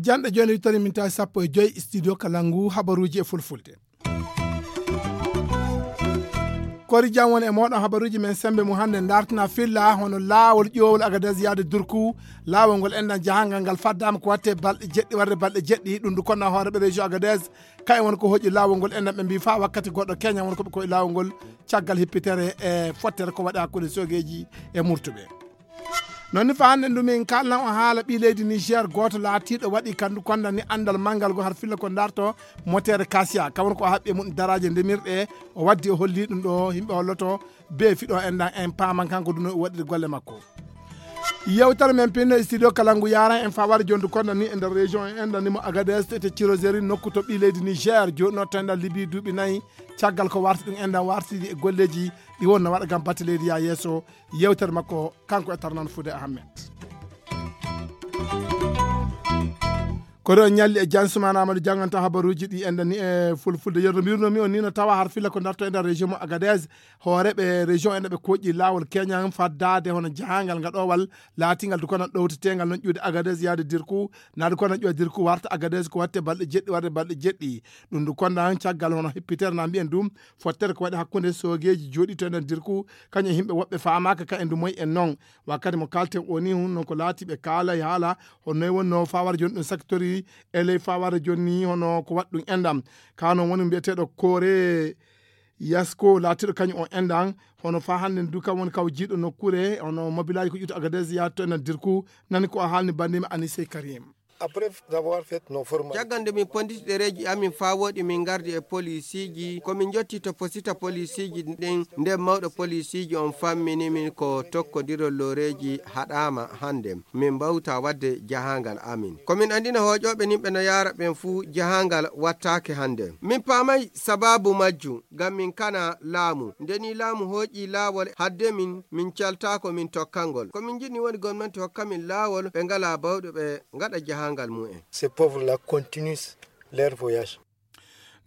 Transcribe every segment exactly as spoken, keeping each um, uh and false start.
Janɗe jooni wittani min tawi sappo e joyi studio Kalangu, habaruuji e fulfulde. Kori jam woni e mooɗon, habaruuji men sembe mum hannde ndartina filla hono laawol ƴoowol Agadez yaade Durku. Laawol ngol enɗan jahangal ngal faddaama ko watte balɗe jeɗɗi warde balɗe jeɗɗi. Ɗum ndu konna hooreɓe région Agadez, kayen woni ko hoƴi laawol ngol enɗan, ɓe mbi faa wakkati goɗɗo keñan woni ko ɓe koye laawol ngol caggal hippitere e fottere ko waɗi hakkunde soogeeji e murtuɓe. Noon ni fa hannde ndu min kaalna on haala ɓii leydi Niger gooto laatiiɗo waɗi kandu konda ni anndal manngal go har filla ko ndarto motere Kasia, kam woni ko o haɓɓi e mum daraaje ndemirɗe, o waddi o holli ɗum ɗo yimɓe holloto be fiɗo enɗan en paaman kanko duno o waɗiri golle makko. Yewtere men pinno e studio Kalangu yaran en fawari jondu konda ni e nder région en enɗan ni mo Agadez to ete Tirozeri nokku to ɓii leydi Niger joɗno to enɗan Libi duuɓi nayi caggal ko warti ɗum enɗan wartidi e golleji ɗi wonno waɗa gam batte leydi ya yeeso. Yewtere makko kanko e Tarnan Fude Ahmed. Koɗo on ñalli e Jan Sumana Amadou jannganta habaruuji ɗi enɗan ni e fulfulde. Yerno mbirno mi on ni no tawa har filla ko darto enɗan région mo Agadez. Hooreɓe région enɗan ɓe koƴƴi laawol keñan faddaade hono jahangal ngaɗowal laatingal du kono ɗowtetengal non ƴuude Agadez yaade Dirku. Naa du kono ƴuude Dirku warta Agadez ko watte balɗe jeɗɗi warde balɗe jeɗɗi. Ɗum du kono caggal hono hippitere na mbiyen ɗum fottere ko waɗi hakkunde soogeeji jooɗiiɗo e nder Dirku, kañum e yimɓe woɓɓe faamaaka ka e ndu moy en noon. Wakkati mo kaalten o ni, hun noon ko laati ɓe kaala e haala, hono noy wonnoo faawara jooni ɗum saktori, e ley faawara jooni ni, hono ko waɗi ɗum enɗam. Ka noon woni mbiyeteeɗo Koore Yasko, laatiiɗo kañum on enɗam, hono faa hannde ndu kam woni kaw jiiɗo nokkuure, hono mobilaaji ko ƴuuto Agadez yaade to enɗam Dirku, nani ko o haalni banndiima Anise Karim. Après avoir fait nos formations. Caggal nde min ponditi ɗereeji amin faa wooɗi, min ngardi e polisiiji. Ko min njotti to posita polisiiji ɗin, nden mawɗo polisiiji on fammini min ko tokkodirol looreeji haɗaama hannde. Min mbawta waɗde jahaangal amin. Ko min anndina hooƴooɓe nin ɓe no yaara ɓen fuu jahaangal wattaake hannde. Min paamay sabaabu majjum, ngam min kana laamu. Nde nii laamu hooƴii laawol hadde min, min caltaako min tokkangol. Ko min njiɗni woni gomnanti hokka min laawol, ɓe ngalaa bawɗe ɓe ngaɗa jahaangal mumen. Ces pauvres-là continuent leur voyage.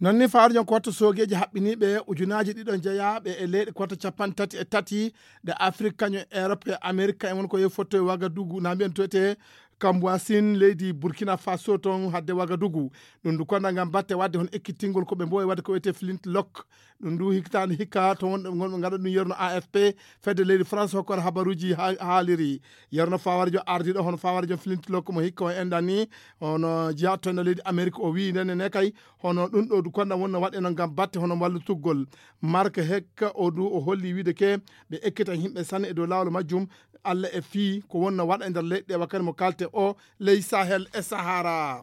Noon ni faarjon ko wattu soogeeji haɓɓiniiɓe ujunaaji ɗiɗo jeyaaɓe e leyɗe ko wattu capanɗe tati e tati ɗe Afrik, kañum e Europe e Amerika, e won ko yehi fotto e Wagadugu, na mbiyen to etee Kambuwasin, leydi Burkina Faso, toon hadde Wagadugu. Ɗum ndu konna ngam batte waɗde hono ekkitingol ko ɓe mboowi waɗde ko wiyetee Flint Lock. Ɗum ndu hikitaande hikka to wonɓe ngonɓe ngaɗa ɗum yerno A F P, fedde leydi France hokkore habaruuji ha-, haaliri. Yerno Fawarjo ardiiɗo hono Fawarjo Flint Lock mo hikka o enɗan ni, hono jeyaa to nder leydi Amerik, o wiyi ndenne ne kay, hono ɗum ɗo du konna wonno waɗe noon ngam batte hono wallutugol. Mark Hekka o du o holli wiide ke ɓe ekkitan yimɓe sanne e dow laawol majjum, Alla e fii ko wonno waɗa e nder leyɗe ɗe wakkati mo kalte o ley Sahel e Sahara.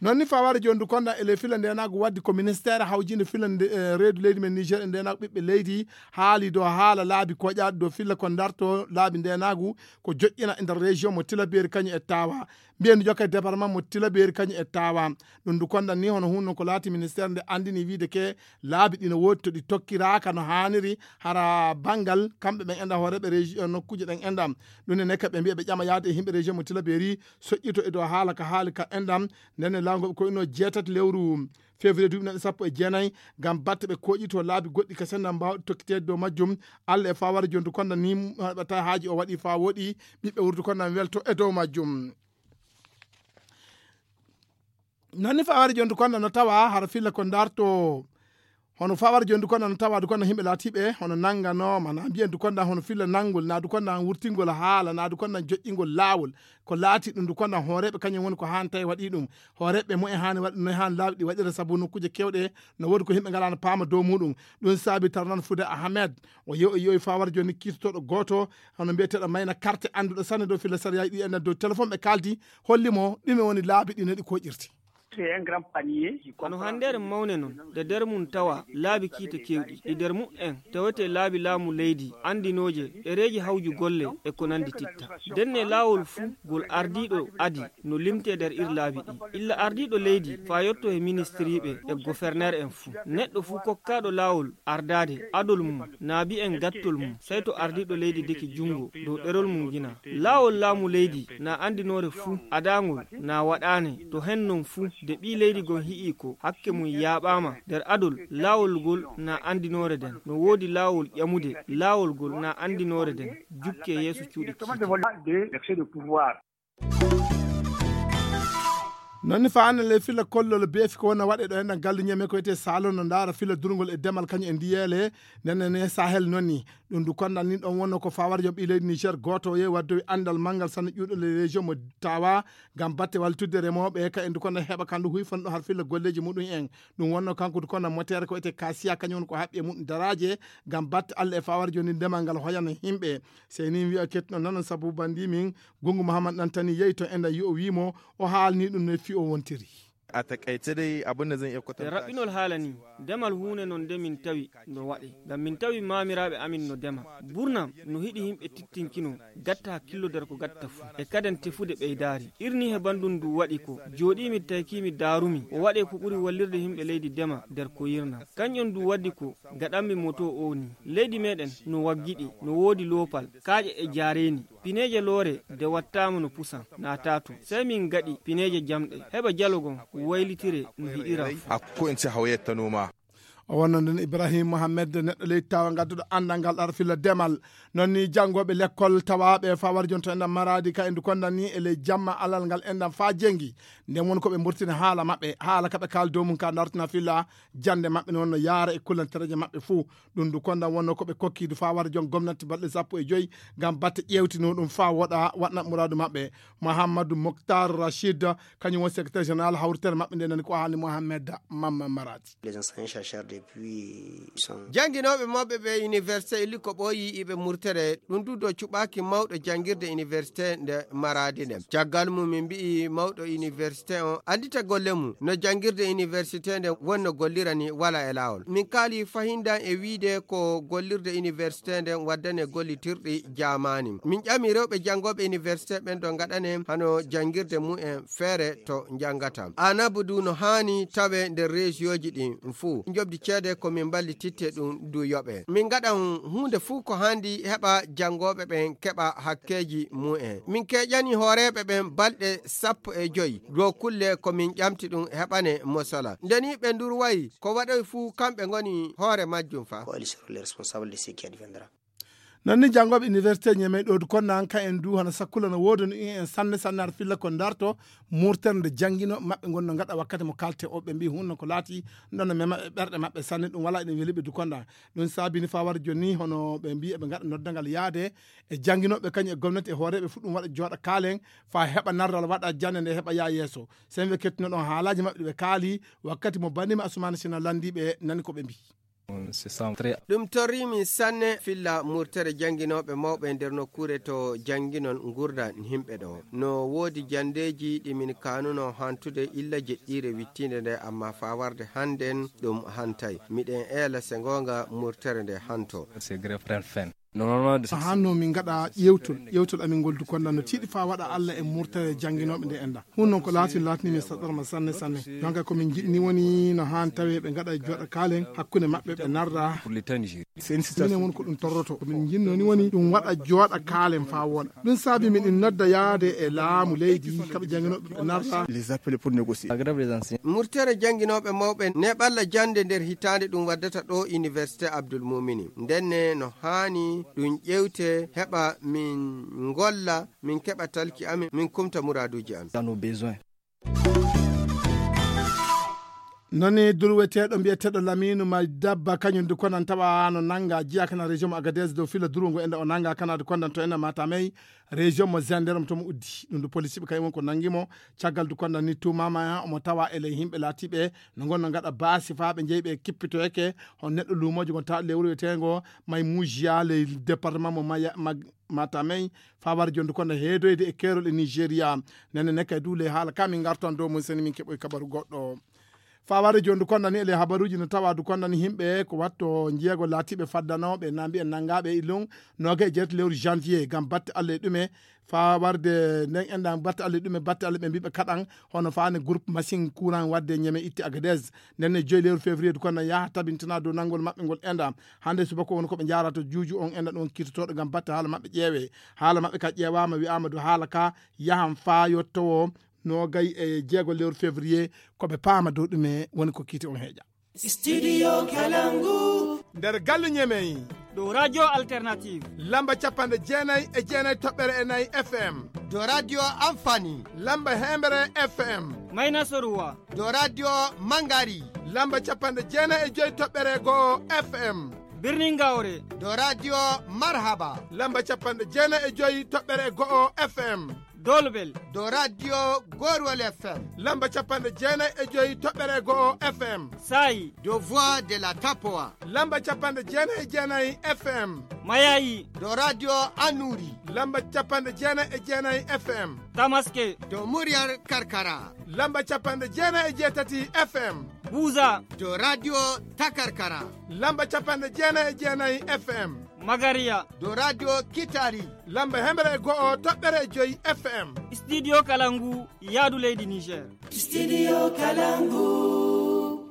Noon ni fawaade jooni du konda e ley filla ndenaagu waddi ko ministeere hawjinde filla nde, eh, reedu leydi men Niger e ndenaagu ɓiɓɓe leydi haali dow haala laabi koƴaaɗi dow filla ko darto laabi ndenaagu ko joƴƴina e nder région mo Tilaberi kañum e Tawa. Mbiyen du jokkay département mo Tilaberi kañum e Tawa. Ɗum du konda ni hono hunno ko laati ministeere nde anndini wiide ke laabi ɗi no woodi to ɗi tokkiraaka no haaniri hara banngal kamɓe ɓen enɗan hooreeɓe région nokkuuje ɗen enɗan. Ɗum ne nekka ɓe mbiya ɓe ƴama yaade e yimɓe région mo Tilaberi soƴƴito e dow haala ka haali ka enɗan, nden e laawol ngol ɓe koyno jeetati lewru février duuɓi neɗɗo sappo e jeenayi, ngam batte ɓe koƴito laabi goɗɗi ka sennda mbaawɗi tokkiteede dow majjum. Alla e fawara jontu konda ni haɓata haaji o waɗi faa woɗi, ɓiɓɓe wurdu konda welto e dow majjum. Noon ni fawara jontu konda no tawa hara filla ko darto. Hono fawara jontu konda no tawa du konda yimɓe laatiiɓe hono nannganooma, na mbiyen du konda hono filla nanngol, na du konda wurtingol haala, na du konda joƴƴingol laawol. Ko laati ɗum du konda hooreeɓe kañum woni ko haani tawi waɗi ɗum. Hooreeɓe mumen haani waɗi no haani laabi ɗi waɗira sabu nokkuuje keewɗe no woodi ko yimɓe ngalaa no paama dow muɗum. Ɗum saabi tarnan Fude Ahmed. O yew-, o yewi fawara jooni kiirtotooɗo gooto, hono mbiyeteeɗo Mayna Karte, annduɗo sanne dow filla sariyaaji ɗi enɗan dow téléphone ɓe kaaldi, holli mo ɗume woni laabi ɗi no ɗi koƴirti. C'est un grand panier. Kono handeere mawne non, de nder mum tawa laabi kiite keewɗi. Ɗi nder mum en tawete laabi laamu leydi, anndinooje, ɗereeji hawju golle e ko nanndi titta. Ndenne laawol fuu ngol ardiiɗo adi no limtee nder ir laabi ɗi. Illa ardiiɗo leydi faa yotto he ministiriiɓe e goferneer en fuu. Neɗɗo fuu kokkaaɗo laawol ardaade adol mum, naa mbiyen gattol mum, sey to ardiiɗo leydi deki junngo dow ɗerol mum ngina. Laawol laamu leydi na anndinoore fuu adaangol na waɗaane, to hen non fuu De ɓii leydi gon hi'ii ko hakke mum yaaɓaama nder adol, laawol ngol na anndinoore nden. No woodi laawol ƴamude, laawol ngol na anndinoore nden. Jukkee yeeso cuuɗi kiite. Noon ni faanale fila kollol beefi ko wona waɗe ɗo enɗan galluñe men ko wiyetee saalon no ndaara fila durngol e demal kañum e ndiyeele. Nene ne sahel noon ni ɗum ndu kondan ni ɗon wonno ko fawarjo ɓii leydi niger gooto o yehi waddowi anndal manngal sanne ƴuuɗo le région mo tawa ngam batte wallitudde remooɓe ka e ndu kondan heɓa kandu huyfan ɗo har filla golleeji muɗum en. Ɗum wonno kanko ndu kondan motere ko wiyetee kasiya kañum woni ko haɓɓi e muɗum daraaje ngam batte allah e fawarjo ni ndemal ngal hoyana yimɓe. Sey ni wiya kettuno nanon sabu bandi min gungu muhammad ɗantani yehi to enɗan yo o wiimo o haalni ɗum no fi o wontiri. A takaice dai abin da zan iya kwatanta shi. E raɓɓinol haala ni, demal huunde non nde min tawi no waɗe ngam min tawi maamiraaɓe amin no dema. Burnam no hiɗi yimɓe tittinkino gatta hakkillo nder ko gatta fuu e kaden tefude ɓeydaari. Irni he banndum ndu waɗi ko jooɗiimi taykiimi daarumi o waɗe ko ɓuri wallirde yimɓe leydi dema nder ko yirnam. Kañƴon ndu waddi ko gaɗanmi moto o ni. Leydi meɗen no waggiɗi, no woodi loopal, kaaƴe e jaareeni. Pineeje loore de wattaama no pusan naataato. Sey min ngaɗi pineeje jamɗe heɓa jalogon waylitire no hiɗira. Ko en si hawayetta noma. O wonno nden ibrahim mohammed neɗɗo leydi tawa ngadduɗo anndal ngal ɗar filla demal. Noon ni janngooɓe lekkol tawaaɓe fa warjonto enɗan maraadi ka endu kondan ni e ley jamma alal ngal enɗan fa jengi. Nden woni ko ɓe mburtini haala maɓɓe haala ka ɓe kaali dow mum ka dartina filla jannde maɓɓe ne wonno yaara e kullantereeje maɓɓe fuu. Ɗum ndu kondan wonno ko ɓe kokki du fa wara jon gomnati balɗe sappo e joyi ngam batte ƴeewtino ɗum fa woɗa waɗna muraadu maɓɓe. Mohammadu moktar rachid kañum woni secrétaire général hawritere maɓɓe nde nani ko haalni mohammed mamma maradi. Jannginooɓe maɓɓe ɓe université illi ko ɓooyi iɓe murtere ɗum du do cuɓaaki mawɗo janngirde université nde maraadi nde. Caggal mum min mbi'i mawɗo université on anndita golle mum no janngirde université nde wonno gollira ni wala e laawol. Min kaali fahindan e wiide ko gollirde université nde waddane gollitirɗi jaamaani. Min ƴami rewɓe janngooɓe université ɓen do ngaɗane hano janngirde mumen feere to njanngata. Anabu du no haani tawe nder reesiyooji ɗin fuu. Njoɓdi ceede ko min mballititte ɗum du yoɓe. Min ngaɗan huunde fuu ko haandi heɓa janngooɓe ɓen keɓa hakkeeji mumen. Min keeƴani hooreeɓe ɓen balɗe sappo e joyi dow kulle ko min ƴamti ɗum heɓane mosala. Nde ni ɓe ndurwayi ko waɗoyi fuu kamɓe ngoni hoore majjum fa. Ko Ali Soro le responsable de ce qui adviendra. Noon ni janngooɓe université ñemey ɗowdu konnan ka en du hano sakkula no woodani en sanne sanne har filla ko ndarto murtere nde janngino maɓɓe ngonno ngaɗa wakkati mo kalte o ɓe mbi hunno ko laati ɗon no mema e ɓerɗe maɓɓe sanne ɗum wala eɗen weli ɓe du kondan. Ɗum saabini fa wara joni hono ɓe mbi eɓe ngaɗa noddangal yaade e jannginoɓe kañum e gomnati e hooreɓe fu ɗum waɗa jooɗa kaalen fa heɓa narral waɗa jannde nde heɓa yaa yeeso. Sen ɓe kettuno ɗon haalaji maɓɓe ɗi ɓe kaali wakkati mo banima asumana sina landiɓe nani ko ɓe mbi. Ɗum torri min sanne filla murtere jannginooɓe mawɓe nder nokkuure to jannginon ngurdan yimɓe ɗo. No woodi janndeeji ɗi min kaanuno hantude illa jeɗɗiire wittiinde nde, ammaa faa warde hannden ɗum hantay. Miɗen eela se ngoonga murtere nde hanto. Hanno min ngaɗa ƴewtol ƴewtol amin ngol du konda no tiiɗi faa waɗa allah e murtere jannginooɓe nde enda. Hun noon ko laatini laatini min saɗɗorma sanne sanne. Jonka ko min njiɗni woni no haan tawi ɓe ngaɗa jooɗa kaalen hakkunde maɓɓe ɓe narra. Minen woni ko ɗum torroto ko min njiɗno ni woni ɗum waɗa jooɗa kaalen faa wona. Ɗum saabi miɗin nodda yaade e laamu leydi kaɓe jannginooɓe ɓe narra. Murtere jannginooɓe mawɓe neɓalla jannde nder hitaande ɗum waddata ɗo université abdoul mumini ndenne no haani ɗum ƴewte heɓa min ngolla min keɓa talki amin min kumta muraaduuji amin. Nani durweteeɗo mbiyeteeɗo lamiinu ma dabba kañum du konan tawa no nannga jiya kana région mo agadez dow fila durungo enda o nannga kana du kondan to enda matamey. Région mo zender mo tomo uddi ɗum du policiɓe kañum won ko nanngi mo. Caggal du kondan ni tumama omo tawa e ley yimɓe laatiɓe no ngonno ngaɗa baasi faa ɓe jeyi ɓe kippitoyeke. Hon neɗɗo luumoojo mo tawa lewru wiyeteengo may mujiya ley département mo matamey. Fawar jondu kono heedoyde e keerol e nigéria. Nene nekkay duule haala ka min gartan dow mum seni min keɓoy kabaru goɗɗo. Faware jondu kondani ele habaruji no tawa du kondani himɓe ko watto jeego laatiɓe faddanooɓe na mbiyen nangaaɓe e illum. Nooga e jeeto lewru janvier ngam batte allah e ɗume. Fawarde nden enɗan batte allah e ɗume batte allah ɓe mbiɓe kaɗan hono faani groupe machine courant wadde ñeme itti agadez. Ndenne joyi lewru février du kondani yaha tabintina dow nanngol maɓɓe ngol enɗa. Hannde subaka woni ko ɓe njaarata juuju on enɗa ɗon kiitotoɗo ngam batte haala maɓɓe ƴeewe. Haala maɓɓe ka ƴeewaama wi'aama du haala ka yahan faa yottowo. noogay e jeego lewru février, ko ɓe paama dow ɗume woni ko kiite on heeƴa. Studio Kalangu. Nder galle Ñemey. Dow Radio Alternative. Lamba capanɗe jeenayi e jeenayi toɓɓere e nayi F M. Dow Radio Amfani. Lamba hemere F M. Mayna Soruwa. Dow Radio Mangari. Lamba capanɗe jeenayi e joyi toɓɓere go'o F M. Birnin Gawre. Dow Radio Marhaba. Lamba capanɗe jeenayi e joyi toɓɓere go'o F M. Dolbel. Dow Radio Gorwal F M. Lamba capanɗe jeenayi e joyi toɓɓere go'o F M. Sayi. Dow Voix de la Tapoa. Lamba capanɗe jeenayi e jeenayi F M. Mayayi. Dow Radio Anuri. Lamba capanɗe jeenayi e jeenayi F M. Tamaske. Dow Muryar Karkara. Lamba capanɗe jeenayi e jeetati F M. Buza. Dow Radio Takarkara. Lamba capanɗe jeenayi e jeenayi F M. Magariya. Dow Radio Kitari. Lamba hemere e go'o toɓɓere e joyi F M. Studio Kalangu, yaadu leydi Niger. Studio Kalangu.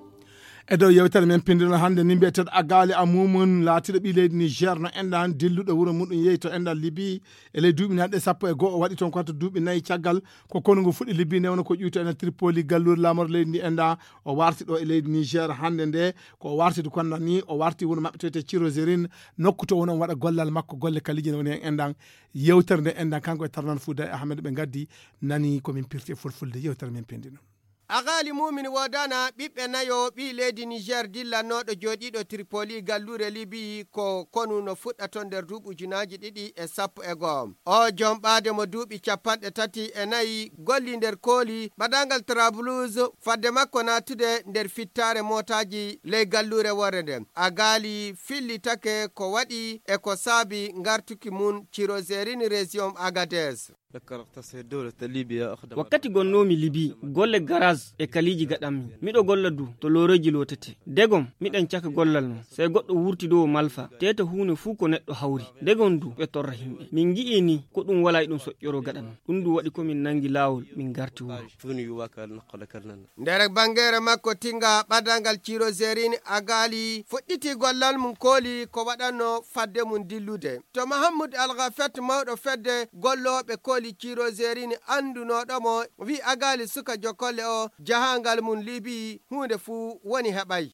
E dow yewtere men pindino hannde ni mbiyeteeɗo Agali Amumun laatiiɗo ɓii leydi Niger no enɗan dilluɗo wuro muɗum yehi to enɗan Libi e ley duuɓi nanɗe sappo e go'o o waɗi toon ko to duuɓi nayi caggal ko konu ngu fuɗɗi Libi newno ko ƴuwto ena Tripoli galluure laamorde leydi ndi enɗan o warti ɗo e leydi Niger hannde nde ko o warti du konnan ni o warti wuro maɓɓe to wiyetee Cirozerin nokku to woni on waɗa gollal makko golle kaliije ne woni heen enɗan yewtere nde enɗan kanko e Tarnan Fouda e Ahmed ɓe ngaddi nani ko min pirti e fulfulde yewtere men pindino. Agali Mumin woodana ɓiɓɓe nayo ɓii leydi Niger dillannooɗo jooɗiiɗo Tripoli galluure Libi ko konu no fuɗɗa toon nder duuɓi ujunaaji ɗiɗi e sappo e go'o. O jom ɓaade mo duuɓi capanɗe tati e nayi golli nder kooli baɗangal Trablus fadde makko naatude nder fittaare mootaaji ley galluure worre nde. Agali fillitake ko waɗi e ko saabi ngartuki mum Cirozerin Rezion Agades. Wakkati gonnoomi Libi, golle garas e kaliiji gaɗanmi. Miɗo golla du to looreeji lootetee. Degom, miɗen caka gollal non. Sey goɗɗo wurti dow o malfa, teeta huunde fuu ko neɗɗo hawri. Degom du ɓe torra himɓe. Min ngi'ii ni ko ɗum walaa e ɗum soƴƴoroo gaɗa non. Ɗum du waɗi ko min nanngi laawol min ngarti wuro. Nder banngeere makko tinga ɓaddangal Cirozerin Agali fuɗɗiti gollal mum kooli ko waɗanno fadde mum dillude. To Mahammud Algafet mawɗo fedde gollooɓe kooli Cirozerin anndunooɗo mo wi Agali suka jokolle o jahangal mum Libi huunde fuu woni heɓay.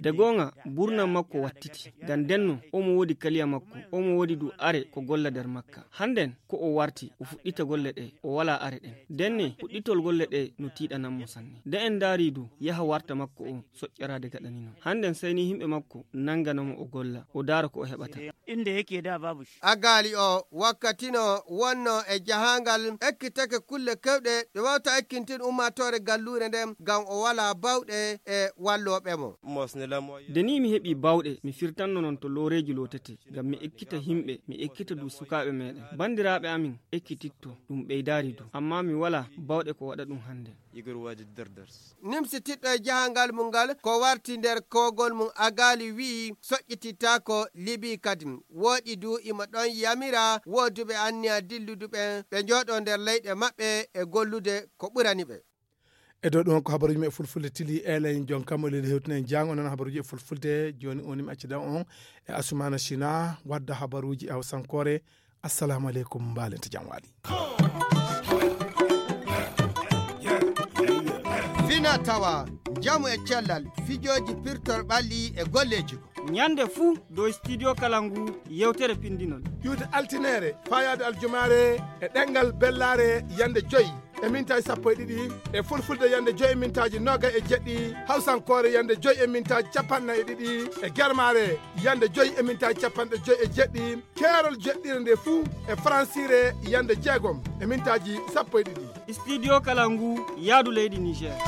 De goonga burnam makko wattiti ngam ndenno omo woodi kaliya makko omo woodi du are ko golla nder makka. Hannden ko o warti o fuɗɗita golle ɗe o walaa are ɗen. Ndenne fuɗɗitol golle ɗe no tiiɗanan mo sanne. Nde en ndaari du yaha warta makko o soƴƴaraade gaɗani non. Hannden sey ni yimɓe makko nanngana mo o golla o ndaara ko o heɓata. Agali o wakkati no wonno e jahaangal ekkitake kulle kewɗe ɗe wawta ekkintin ummaatoore galluure nden ngam o walaa bawɗe e wallooɓe mo. Nde ni mi heɓi bawɗe mi firtanno non to looreeji lootetee ngam mi ekkita yimɓe mi ekkita du sukaaɓe meɗen. Banndiraaɓe amin ekkititto ɗum ɓeydaari du ammaa mi walaa bawɗe ko waɗa ɗum hannde. Nimsititɗo e jahangal mum ngal ko warti nder kogol mum Agali wi'i soƴƴitittaako Libi kadi. Wooɗi du imo ɗon yamira wooduɓe anniya dilludu ɓen ɓe njooɗo nder leyɗe maɓɓe e gollude ko ɓurani ɓe. E dow ɗum ko habaruuji men e fulfulde tili elay jon kam o leli hewtinen jaango non habaruuji e fulfulde jooni o nimi accida on e Asumana China wadda habaruuji e hawsankoore. Assalamu aleykum mbaalente jam waali. Fina tawa njamu e cellal fijooji pirtor ɓalli e golleeji ko. Ñande fuu dow studio kala ngu yewtere pindinol. Ƴuwde altineere faayaade aljumaare e ɗemngal bellaare yande joyi e mintaaji sappo e ɗiɗi e fulfulde yande joyi e mintaaji noogay e jeɗɗi hawsankoore yande joyi e mintaaji capanɗe nayi e ɗiɗi e germaare yande joyi e mintaaji capanɗe joyi e jeɗɗi keerol jeɗɗire nde fuu e faransiire yande jeegom e mintaaji sappo e ɗiɗi. Studio kala ngu yaadu leydi Niger.